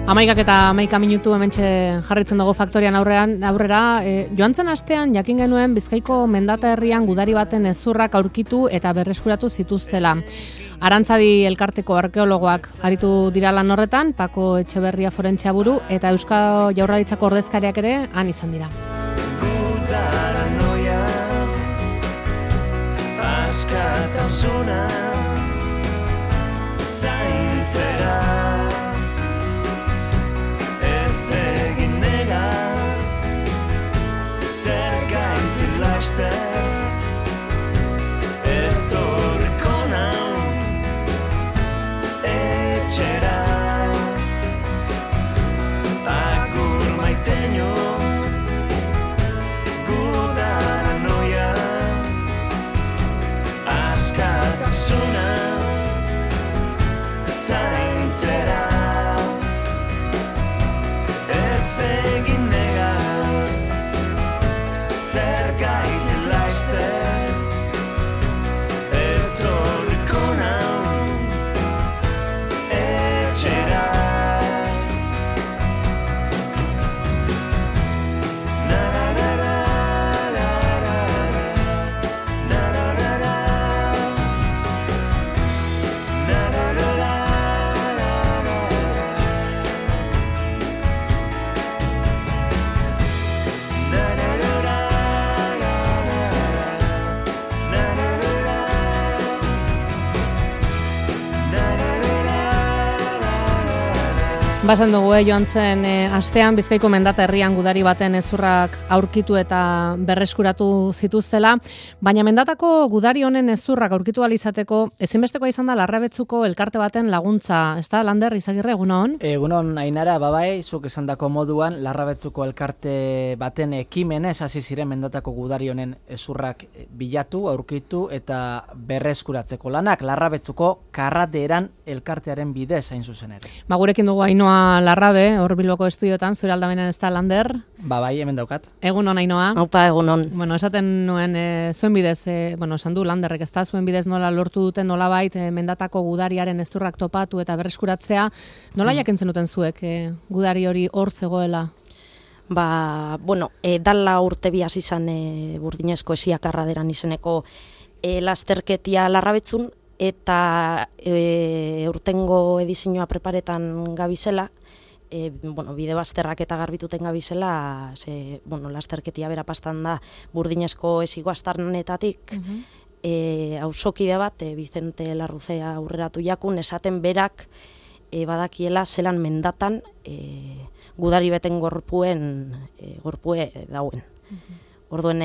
11 minutu hementxe jarritzen dugu Faktorian aurrera. Joan zen astean jakin genuen Bizkaiko mendata herrian gudari baten hezurrak aurkitu eta berreskuratu zituztela. Arantzadi elkarteko arkeologoak aritu dira lan horretan, Pako Etxeberria forentzia buru eta Euskal Jaurlaritzako ordezkariak ere han izan dira. Gudaranoia, askatasuna, zaintzera. Egin negar, zer gaitik laster, etorriko nau, etxera. Agur maiteño, gudaranoia, askatasuna, zaintzera. Egin negar, zer gaitik laster, etorriko nau, etxera. Basan dugu joan zen astean Bizkaiko mendata herrian gudari baten hezurrak aurkitu eta berreskuratu zituztela, baina mendatako gudari honen hezurrak aurkitu ahal izateko ezinbestekoa izan da Larrabetzuko elkarte baten laguntza, ezta Lander Izagirre, egunon? Egunon Ainara, babai, zuk esandako moduan Larrabetzuko elkarte baten ekimenez hasi ziren mendatako gudari honen hezurrak bilatu, aurkitu eta berreskuratzeko lanak Larrabetzuko Karraderan elkartearen bidez hain zuzen ere. Gurekin dugu Ainhoa Larrabe, hor Bilboko estudiotan, zure aldamenean ez da Lander. Bai, hemen daukat. Egunon, Ainhoa. Opa, egunon. Esaten nuen, zuen bidez, esan du Landerrek, ez da, zuen bidez nola lortu duten nolabait mendatako gudariaren hezurrak topatu eta berreskuratzea. Nola jakin zenuten zuek gudari hori hor zegoela? Dala urte bi hasi izan Burdinezko Esia Karraderan izeneko lasterketia Larrabetzun, eta urtengo edizioa preparetan gabizela, bide bazterrak eta garbituten gabizela, lasterketia bera pastan da Burdinezko Esiko astarnetatik, auzokide bat, Vicente Larruzea aurreratu jakun, esaten berak badakiela zelan mendatan gudari beten gorpue dauen. Orduen,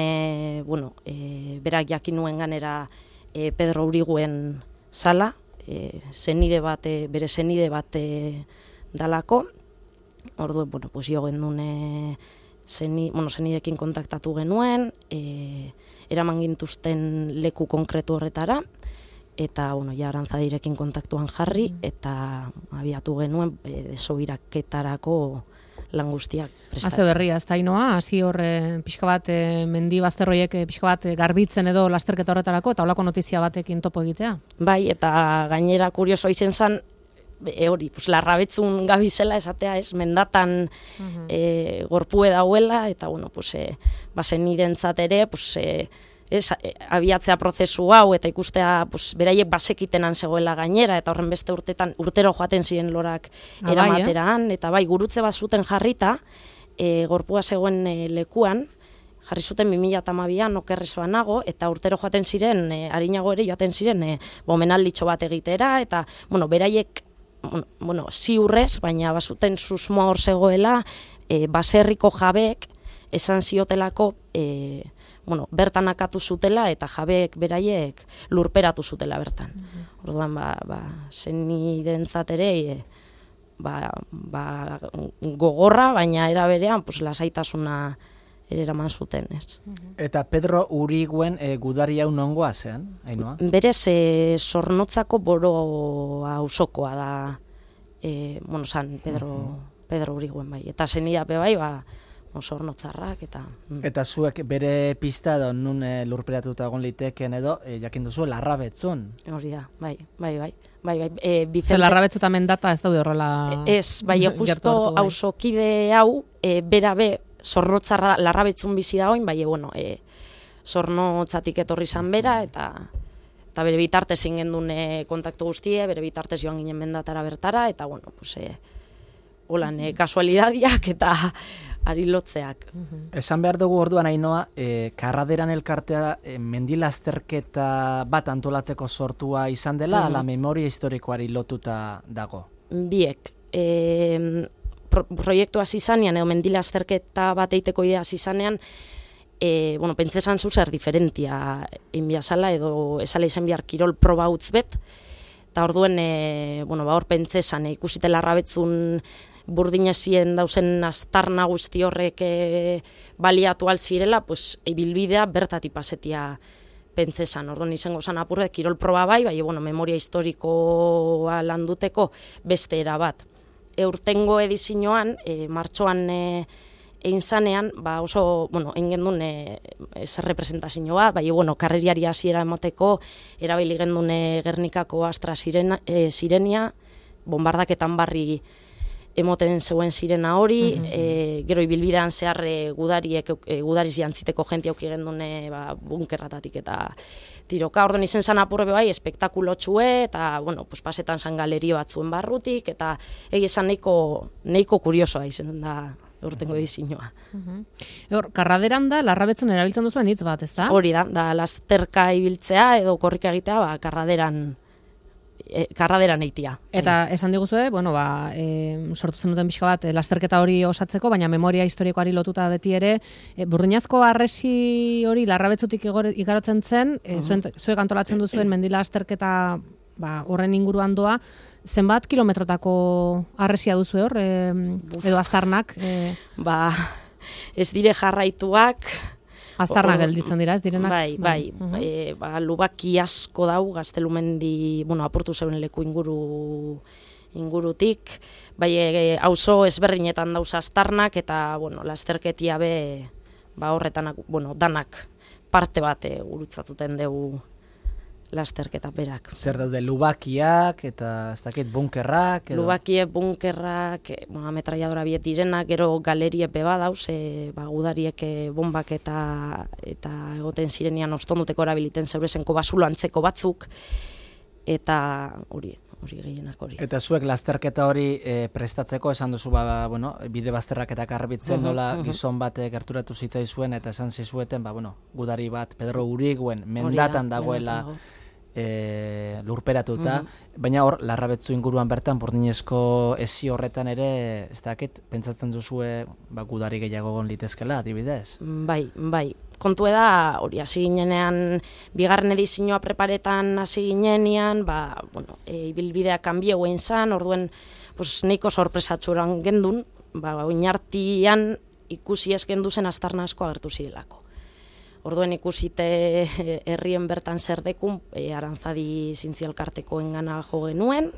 berak jakin nuen ganera Pedro Uriguen sala, bere zenide bat dalako. Orduen, jo gendun zenidekin kontaktatu genuen, eraman gintuzten leku konkretu horretara, eta Arantzadirekin kontaktuan jarri, eta abiatu genuen desobiraketarako lan guztiak prestatzen. Haze berria, ez da Ainhoa, hasi hor pixka bat mendi bazterroiek pixka bat garbitzen edo lasterketa horretarako, eta holako notizia batekin topo egitea. Bai, eta gainera kurioso izen zen, Larrabetzun gabizela esatea, mendatan gorpue dauela, eta zen irentzat ere, abiatzea prozesu hau eta ikustea beraiek basekitenan zegoela gainera, eta horren beste urtero joaten ziren lorak eramateraan, eta bai, gurutze bat zuten jarrita, gorpua zegoen lekuan, jarri zuten 2012an okerrez banago, eta urtero joaten ziren, arinago ere joaten ziren, omenalditxo bat egitera, eta beraiek, ziurrez, baina bazuten susmoa hor zegoela, baserriko jabek esan ziotelako, bertan akatu zutela eta jabeek beraiek lurperatu zutela bertan. Orduan, zenidentzat ere, gogorra, baina era berean, lasaitasuna ere eraman zuten, ez. Eta Pedro Uriguen gudari hau nongoa zean, Ainhoa? Berez, Zornotzako Boro auzokoa da, San Pedro Uriguen bai. Eta zenidape bai, oso ornotzarrak eta... Eta zuek bere pista edo nun lurperatuta egon liteken edo jakin duzu Larrabetzun. Hori da, bai. Ze Larrabetzu eta mendata ez daude horrela... Ez, bai, justo auzokide hau, bera zornotzarra Larrabetzun bizi da oin, bai, bueno, zornotzatik etorri zan bera, eta bere bitartez ingen duen kontaktu guztie, bere bitartez joan ginen mendatara bertara, eta, bueno, pues, holan, kasualidadiak eta ari lotzeak. Esan behar dugu orduan Ainoa, Karraderan elkartea mendilazterketa bat antolatzeko sortua izan dela, ala memoria historikoari lotuta dago? Biek. Proiektu hasi izanean, edo mendilazterketa bat eiteko idea hasi izanean, bueno, pentsesan zuzer diferentia inbiazala, edo esala izan bihar kirol proba utz bet, eta orduen, bueno, hor pentsesan ikusite Larrabetzun burdinezien dauzen aztarna guzti horrek baliatu alzirela, pues, ibilbidea bertatik pasetia pentsesan. Orduan izango zan apurre, kirol proba bai, bueno, memoria historikoa landuteko beste era bat. Eurtengo edizioan, martxoan egin zanean, oso, bueno, egin duen ez representazio bat, bueno, karreriari hasiera emateko, erabili gendun Gernikako Astra Sirenia, bombardaketan barri emoten zeuen sirena hori, gero ibilbidean zehar gudariz jantziteko jenti auki gendun bunkerratatik eta tiroka. Orduan izen zan apurre bai, espektakulotxue, eta, bueno, pues, pasetan zan galerio batzuen barrutik, eta egizan nahiko kuriosoa izen da urtengo edizioa. Karraderan da, Larrabetzun erabiltzen duzuen hitz bat, ez da? Hori da lasterka ibiltzea edo korrika egitea, karraderan eitia. Eta esan diguzue, bueno, sortu zenuten pixka bat lasterketa hori osatzeko, baina memoria historikoari lotuta beti ere, burdinazko harresi hori Larrabetzutik igarotzen zen, zuek antolatzen duzuen mendila lasterketa horren inguruan doa, zenbat kilometrotako harresia duzu hor, edo aztarnak? Ez dire jarraituak, aztarnak gelditzen dira, ez direnak? Bai. Lubaki asko dau, Gaztelumendi, bueno, apurtu zeuen leku ingurutik, auzo ezberdinetan dauz aztarnak, eta, bueno, lasterketia horretanak, bueno, danak parte bat gurutzatuten dugu lasterketa berak. Zer daude, lubakiak eta ez dakit bunkerrak? Lubakiek, bunkerrak, ametralladora biet direnak, gero galerie beba dauz, gudariek bombak eta egoten zirenian ostonduteko erabiliten zeurezenko basulo antzeko batzuk, eta hori gehienak hori. Eta zuek lasterketa hori prestatzeko, esan duzu, bueno, bide bazterrak eta karbitzen nola gizon bat gerturatu zitzaizuen, eta esan zizueten, gudari bat, Pedro Uriguen, mendatan dagoela lurperatuta, baina hor, Larrabetzu inguruan bertan, burdinezko ezi horretan ere, ez dakit, pentsatzen duzue gudari gehiago gon litezkela, adibidez? Bai. Kontu da, hori hasi ginenean, bigarren edizioa preparetan hasi ginenean, bueno, ibilbidea kanbie guen zan, orduen, neiko sorpresatxuran gendun, oinartian ikusi ez gendu zen aztarna asko agertu zirelako. Orduen ikusite herrien bertan zer dekun, Arantzadi Zintzialkarteko engana jo genuen,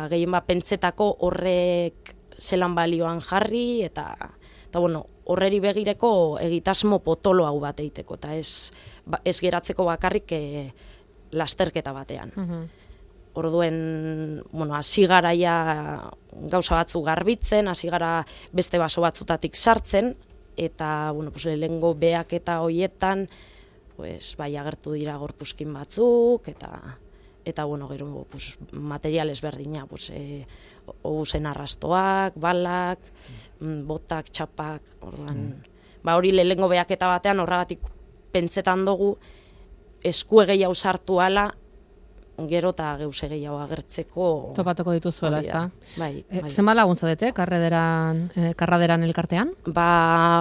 gehien pentsetako horrek zelan balioan jarri, eta bueno, horreri begireko egitasmo potolo hau bat eiteko, eta ez geratzeko bakarrik lasterketa batean. Orduen, bueno, hasi garaia gauza batzu garbitzen, hasi gara beste baso batzutatik sartzen, eta, bueno, lehengo beak eta hoietan, agertu dira gorpuzkin batzuk, eta bueno, gero, material ezberdina, oguzen arrastoak, balak, botak, txapak, orduan, hori lehengo beaketa batean, horregatik pentsetan dugu, eskue gehiago sartu ala, gero eta geuse gehiago agertzeko... Topatuko dituzuela, ez da? Bai. Zenba lagun zaudete, Karraderan elkartean?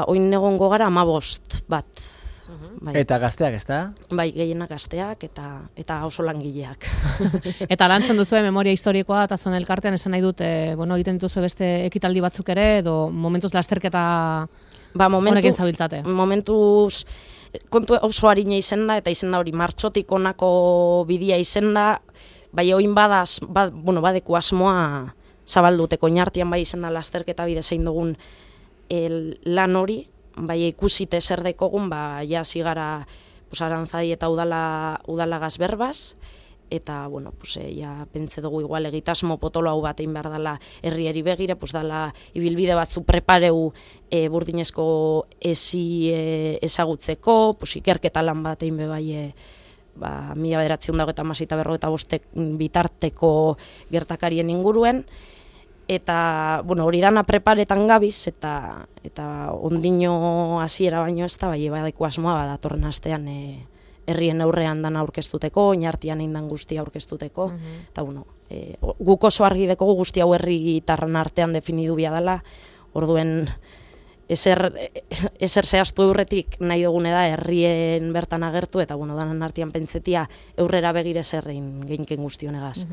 Oin egongo gara 15 bat. Eta gazteak, ez da? Bai, gehienak gazteak eta oso langileak. Eta lantzen duzu memoria historikoa eta zuen elkartean esan nahi dut, bueno, egiten dituzu beste ekitaldi batzuk ere, edo momentuz lasterketa honekin zabiltzate? Momentuz... Kontu oso harina izen da, eta izen da hori martxotik onako bidea izen da, oin badeku asmoa zabalduteko, inartian izen da lasterketa bide zein dugun lan hori, bai ikusite zer dekogun, ja zigara Arantzadi eta udala gazberbaz, eta, bueno, ja pentsa dugu igual egitasmo potolo hau bat egin behar dela herriari begire, dela ibilbide batzu prepareu burdinezko ezagutzeko, ikerketa lan bat egin bebai 1995 bitarteko gertakarien inguruen, eta, bueno, hori dana preparetan gabiz, eta ondino hasiera baino ez da, bai, badeko asmoa datorren astean herrien aurrean dana aurkeztuteko, oinartian indan guztia aurkeztuteko, eta, bueno, guk oso argi dekogu guzti hau herritarren artean definidu bia dela, orduen ezer zehaztu eurretik nahi dugune da herrien bertan agertu, eta, bueno, danan artean pentsetia aurrera begire zerrein geinken guztionegaz.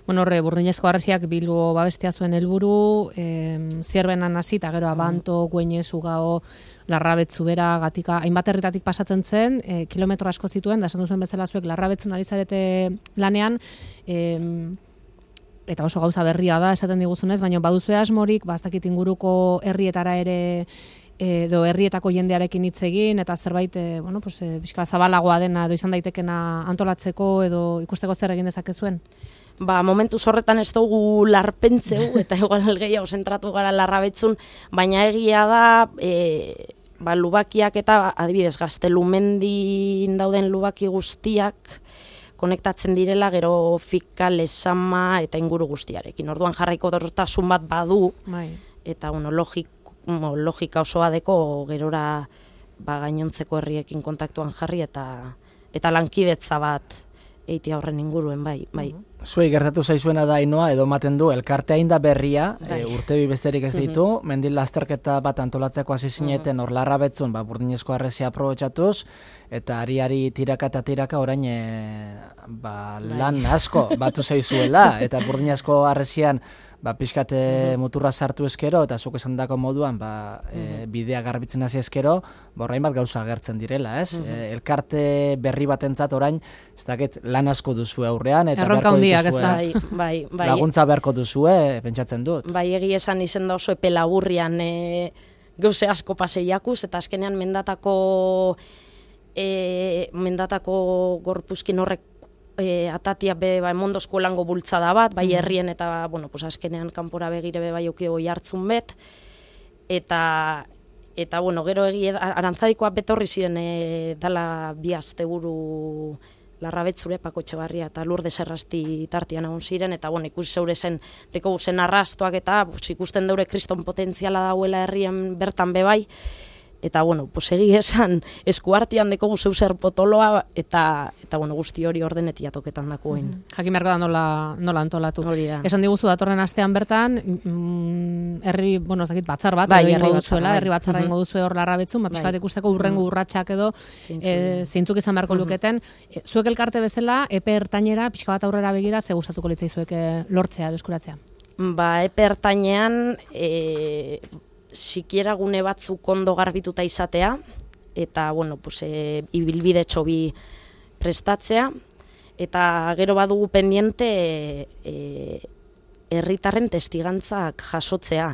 Bueno, horre, Burdinezko Harresiak Bilbo babestea zuen helburu, Zierbenan hasi, eta gero Abanto, Gueñez, Ugao, Larrabetzu bera, Gatika, hainbat herritatik pasatzen zen, kilometro asko zituen, da esan duzuen bezala zuek Larrabetzun ari zarete lanean, eta oso gauza berria da, esaten diguzunez, baina baduzue asmorik, ez inguruko herrietara ere, edo herrietako jendearekin hitz egin, eta zerbait, pixka zabalagoa dena, edo izan daitekena antolatzeko, edo ikusteko zer egin dezakezuen? Momentuz horretan ez dugu larpentzeu, eta igual gehiago zentratu gara Larrabetzun, baina egia da, lubakiak eta adibidez Gaztelumendin dauden lubaki guztiak konektatzen direla gero Fika, Lezama eta inguru guztiarekin. Orduan jarraiko dortasun bat badu, eta logika osoa deko gerora gainontzeko herriekin kontaktuan jarri eta lankidetza bat eitia horren inguruen, bai. Zuei gertatu zaizuena da Ainoa, edo ematen du, elkartea inda berria, urtebi besterik ez ditu, mendil lasterketa bat antolatzeko hasi zineten hor Larrabetzun, Burdinezko Harresia aprobetxatuz, eta ari tiraka orain lan asko batu zaizuela, eta Burdinezko Harresian pixkate muturra sartu eskero, eta zuk esan dako moduan, bidea garbitzen hasi eskero, borrain bat gauza agertzen direla, ez? Elkarte berri batentzat orain, ez dakit lan asko duzue aurrean, eta erronka hundiak, ez da? Bai. Laguntza beharko duzue, pentsatzen dut. Bai, egi esan izen da oso epe laburrian gauze asko paseiakuz, eta azkenean mendatako gorpuzkin horrek atatia emondozko lango bultzada bat, bai herrien eta, azkenean kanpora begire bai okidego jartzun bet, eta gero Arantzadikoa betorri ziren dala bi asteburu Larrabetzure, Pako Etxebarria eta Lourdes Errasti tartian egon ziren, eta ikusi zeure zen, deko zen arrastoak eta ikusten deure kriston potentziala dauela herrien bertan bebai, eta, egi esan, eskuartian deko zeu zer potoloa, eta guzti hori ordenetia toketan dakoen. Jakin beharko da nola antolatu. Esan diguzu datorren astean bertan, herri, ez dakit, batzar bat, herri batzarra ingo duzue hor Larrabetzun, pixkat ikusteko urrengo urratsak edo, zeintzuk izan beharko luketen. Zuek elkarte bezala, epe ertainera, pixka bat aurrera begira, ze gustatuko litzaizuek lortzea, deskuratzea? Epe ertainean, sikiera gune batzuk ondo garbituta izatea, eta, ibilbide txobi prestatzea, eta gero badugu pendiente herritarren testigantzak jasotzea.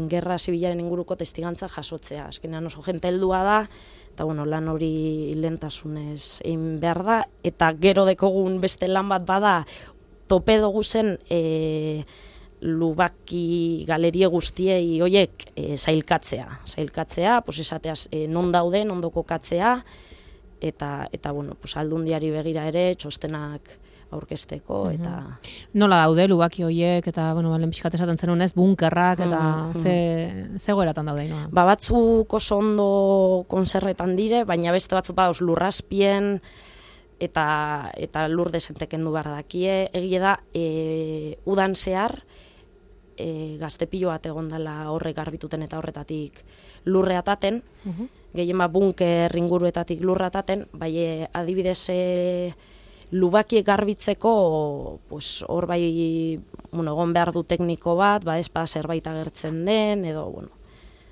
Gerra zibilaren inguruko testigantza jasotzea. Azkenean oso jente heldua da, eta lan hori lehentasunez egin behar da, eta gero dekogun beste lan bat bada, tope dugu zen lubaki galerie guztiei hoiek zailkatzea, esateaz non dauden, ondo kokatzea, eta aldundiari begira ere txostenak aurkezteko, eta... Nola daude lubaki hoiek, eta, lehen pixkat esaten zenunez, bunkerrak, eta ze goeratan daude, Ainoa? Batzuk oso ondo konserretan dire, baina beste batzuk badauz lurrazpien, eta lur desenteken du behar dakie, egia da, udan zehar, gaztepilo bat egon dela horrek garbituten eta horretatik lurreataten, gehien bunker inguruetatik lurreataten, bai adibidez lubakiek garbitzeko hor bai egon behar du tekniko bat, ez zerbait agertzen den, edo,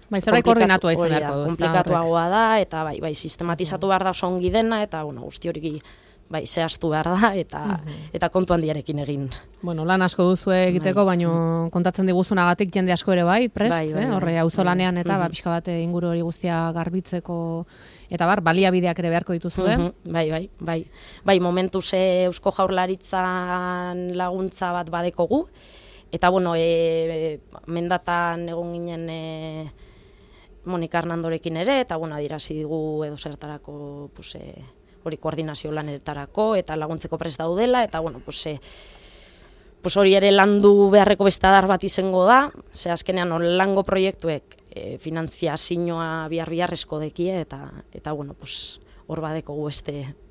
bai, zerbait koordinatua izan beharko du. Komplikatuagoa da, eta bai, sistematizatu behar da oso ongi dena, eta guzti hori bai, zehaztu behar da, eta kontu handiarekin egin. Bueno, lan asko duzu egiteko, baino kontatzen diguzunagatik jende asko ere bai, prest, horre auzolanean eta pixka bat inguru hori guztia garbitzeko, eta baliabideak ere beharko dituzu, Bai, momentuz Eusko Jaurlaritzan laguntza bat badekogu, eta bueno, mendatan egon ginen Monika Hernandorekin ere, eta bueno, adierazi digu edo zertarako, hori koordinazio lanetarako, eta laguntzeko prest daudela, eta bueno, hori ere landu beharreko beste adar bat izango da, ze azkenean lango proiektuek finantziazioa bihar-biharrezko dekie, eta bueno, hor badekogu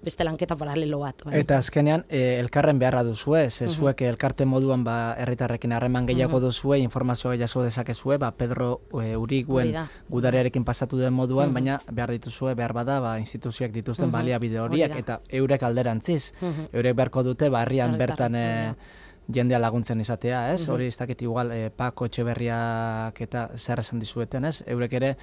beste lanketa paralelo bat. Bai. Eta azkenean, elkarren beharra duzue, zuek elkarte moduan herritarrekin harreman gehiago duzue, informazioa jaso dezakezue, Pedro Uriguen gudariarekin pasatu den moduan, baina behar dituzue, behar bada, instituzioak dituzten baliabide horiek, eta eurek alderantziz. Eurek beharko dute, herrian bertan jendea laguntzen izatea, ez? Hori ez dakit igual, Pako Etxeberriak eta zer esan dizueten, ez? Eurek ere,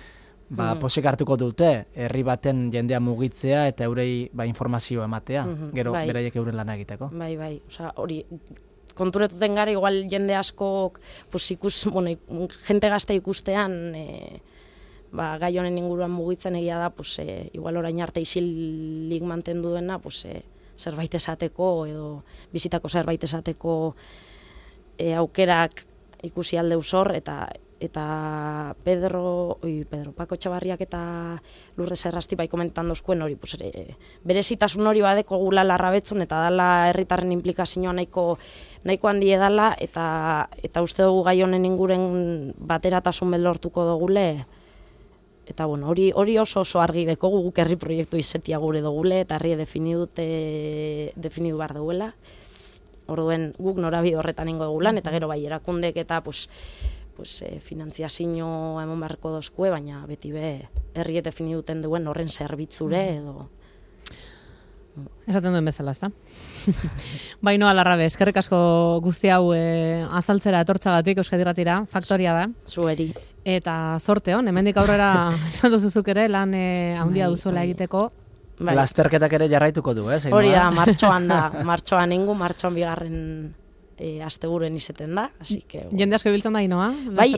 posik hartuko dute, herri baten jendea mugitzea eta eurei informazio ematea, gero beraiek euren lana egiteko. Bai, hori, konturetuten gara, igual jende askok, jente gazte ikustean, gai honen inguruan mugitzen egia da, igual orain arte isilik mantendu dena, zerbait esateko, edo bizitako zerbait esateko aukerak ikusi alde usor, eta Pako Etxebarriak eta Lurdes Errasti bai komentan dozkuen hori, berezitasun hori badeko gula Larrabetzun, eta dala herritarren implikazioa nahiko handi edala, eta uste dugu gai honen inguren bateratasun lortuko dugule, eta bueno, hori oso argi deko guk herri proiektu izetia gure dugule, eta herri definidu behar duguela, orduen guk norabide horretan ingo dugulan, eta gero bai erakundek eta finantziazio emon beharko dozkue, baina beti herri definiduten duen horren zerbitzure edo... Esaten duen bezala, ezta? Bainoa Larrabe, eskerrik asko guzti hau azaltzera etortzagatik Euskadi Irratira, faktoria da. Zueri. Eta zorte hon, hemendik aurrera esan duzuzuk ere lan handia duzuela egiteko. Lasterketak ere jarraituko du, ez? Hori da, martxoan bigarren asteburuan izeten da, así que... Jende asko ibiltzen da, Ainoa? Bai,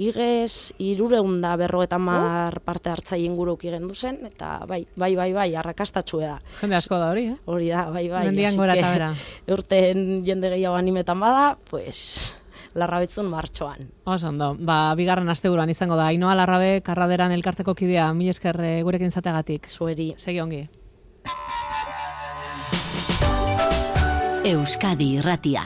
igez 350 parte hartzai inguruk igendu zen, eta bai, arrakastatxue da. Jende asko da hori, Hori da, bai. Mendian gora eta bera. Urten jende gehiago animetan bada, Larrabetzun martxoan. Oso ondo, bigarren asteburuan izango da. Ainoa Larrabe, Karraderan elkarteko kidea, mil esker gurekin zategatik. Zueri. Segi ongi. Euskadi Irratia.